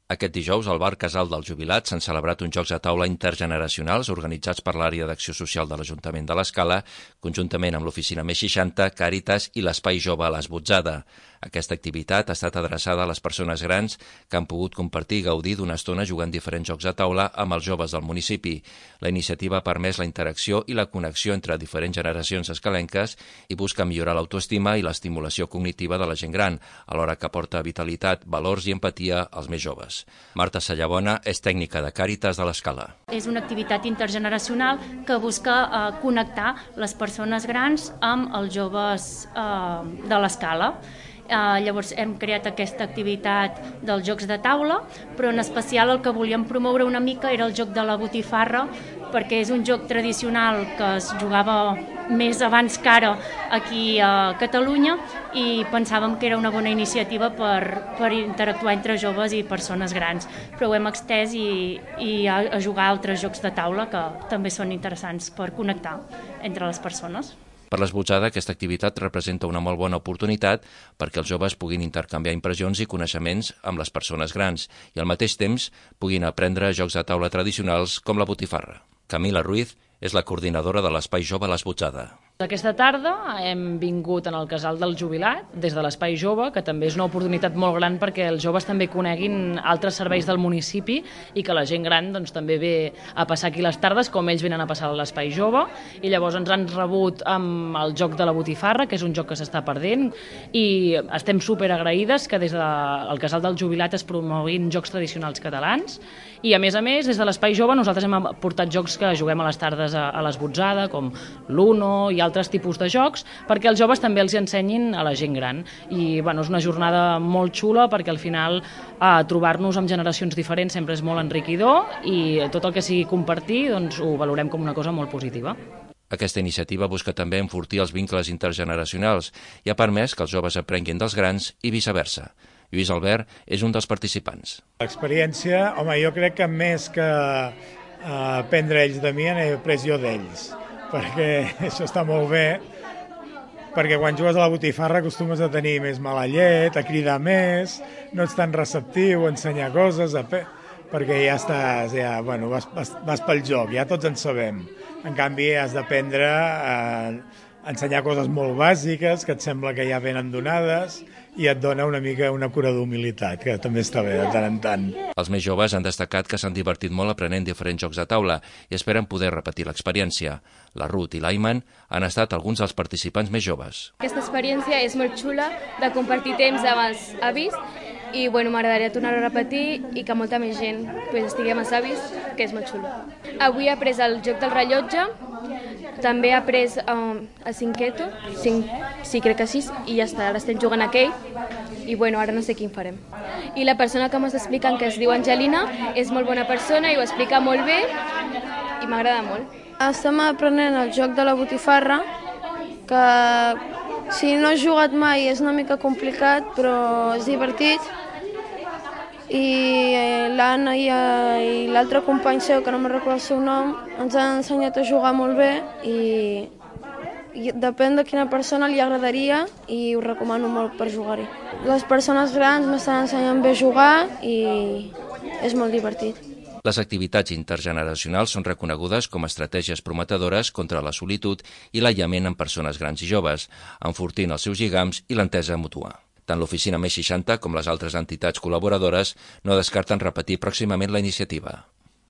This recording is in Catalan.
Aquest dijous, al bar Casal dels Jubilats s'han celebrat uns jocs de taula intergeneracionals organitzats per l'àrea d'acció social de l'Ajuntament de l'Escala, conjuntament amb l'Oficina Més 60, Càritas i l'Espai Jove a l'Esbotzada. Aquesta activitat ha estat adreçada a les persones grans que han pogut compartir i gaudir d'una estona jugant diferents jocs de taula amb els joves del municipi. La iniciativa ha permès la interacció i la connexió entre diferents generacions escalenques i busca millorar l'autoestima i l'estimulació cognitiva de la gent gran, alhora que aporta vitalitat, valors i empatia als més joves. Marta Sallabona és tècnica de Càritas de l'Escala. És una activitat intergeneracional que busca connectar les persones grans amb els joves de l'Escala. Llavors hem creat aquesta activitat dels jocs de taula, però en especial el que volíem promoure una mica era el joc de la botifarra, perquè és un joc tradicional que es jugava més abans que ara aquí a Catalunya i pensàvem que era una bona iniciativa per interactuar entre joves i persones grans, però ho hem extès i a jugar altres jocs de taula que també són interessants per connectar entre les persones. Per l'Esbotzada, aquesta activitat representa una molt bona oportunitat perquè els joves puguin intercanviar impressions i coneixements amb les persones grans i al mateix temps puguin aprendre jocs de taula tradicionals com la botifarra. Camila Ruiz és la coordinadora de l'Espai Jove a l'Esbotzada. Aquesta tarda hem vingut en el Casal del Jubilat des de l'Espai Jove, que també és una oportunitat molt gran perquè els joves també coneguin altres serveis del municipi i que la gent gran també ve a passar aquí les tardes com ells venen a passar a l'Espai Jove, i llavors ens han rebut amb el joc de la botifarra, que és un joc que s'està perdent, i estem superagraïdes que des del Casal del Jubilat es promoguin jocs tradicionals catalans, i a més, des de l'Espai Jove nosaltres hem portat jocs que juguem a les tardes a l'Esbotzada, com l'Uno i altres tipus de jocs, perquè els joves també els ensenyin a la gent gran. I és una jornada molt xula perquè al final trobar-nos amb generacions diferents sempre és molt enriquidor i tot el que sigui compartir ho valorem com una cosa molt positiva. Aquesta iniciativa busca també enfortir els vincles intergeneracionals i ha permès que els joves aprenguin dels grans i viceversa. Lluís Albert és un dels participants. L'experiència, jo crec que més que aprendre ells de mi, n'he après jo d'ells, perquè això està molt bé, perquè quan jugues a la botifarra acostumes a tenir més mala llet, a cridar més, no ets tan receptiu, a ensenyar coses, perquè ja estàs, vas pel joc, ja tots en sabem. En canvi, has d'aprendre a ensenyar coses molt bàsiques que et sembla que ja venen donades i et dona una mica una cura d'humilitat, que també està bé de tant en tant. Els més joves han destacat que s'han divertit molt aprenent diferents jocs de taula i esperen poder repetir l'experiència. La Ruth i l'Ayman han estat alguns dels participants més joves. Aquesta experiència és molt xula de compartir temps amb els avis i m'agradaria tornar a repetir i que molta més gent estigui amb els avis, que és molt xulo. Avui he après el joc del rellotge, també he après el cinqueto, sí, crec que sí, i ja està, ara estem jugant a aquell i ara no sé quin farem. I la persona que m'està explicant, que es diu Angelina, és molt bona persona i ho explica molt bé i m'agrada molt. Estem aprenent el joc de la botifarra, que si no has jugat mai és una mica complicat, però és divertit. I l'Anna i l'altre company seu, que no me'n recordo el seu nom, ens han ensenyat a jugar molt bé i depèn de quina persona li agradaria i ho recomano molt per jugar-hi. Les persones grans m'estan ensenyant bé a jugar i és molt divertit. Les activitats intergeneracionals són reconegudes com a estratègies prometedores contra la solitud i l'aïllament en persones grans i joves, enfortint els seus lligams i l'entesa mútua. Tant l'Oficina Més 60 com les altres entitats col·laboradores no descarten repetir pròximament la iniciativa.